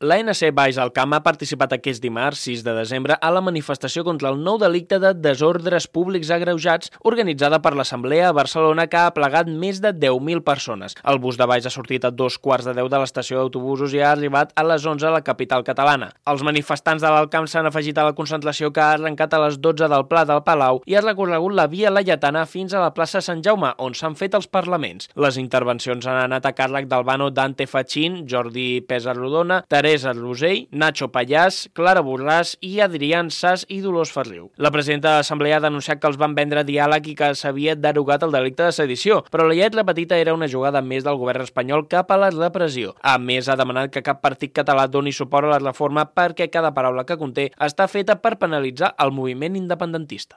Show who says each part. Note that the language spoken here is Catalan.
Speaker 1: L'ANC Baix al Camp ha participat aquest dimarts, 6 de desembre, a la manifestació contra el nou delicte de desordres públics agreujats organitzada per l'Assemblea a Barcelona, que ha aplegat més de 10.000 persones. El bus de Baix ha sortit a 2:15 de l'estació d'autobusos i ha arribat a les 11 a la capital catalana. Els manifestants de l'Alt Camp s'han afegit a la concentració, que ha arrencat a les 12 del Pla del Palau i ha recorregut la Via Laietana fins a la plaça Sant Jaume, on s'han fet els parlaments. Les intervencions han anat a càrrec d'Albano Dante Fachin, Jordi Pesa Rodona, Teresa Rosell, Nacho Pallàs, Clara Borràs i Adrián Sas i Dolors Ferriu. La presidenta de l'Assemblea ha denunciat que els van vendre diàleg i que s'havia derogat el delicte de sedició, però la lletra petita era una jugada més del govern espanyol cap a la repressió. A més, ha demanat que cap partit català doni suport a la reforma perquè cada paraula que conté està feta per penalitzar el moviment independentista.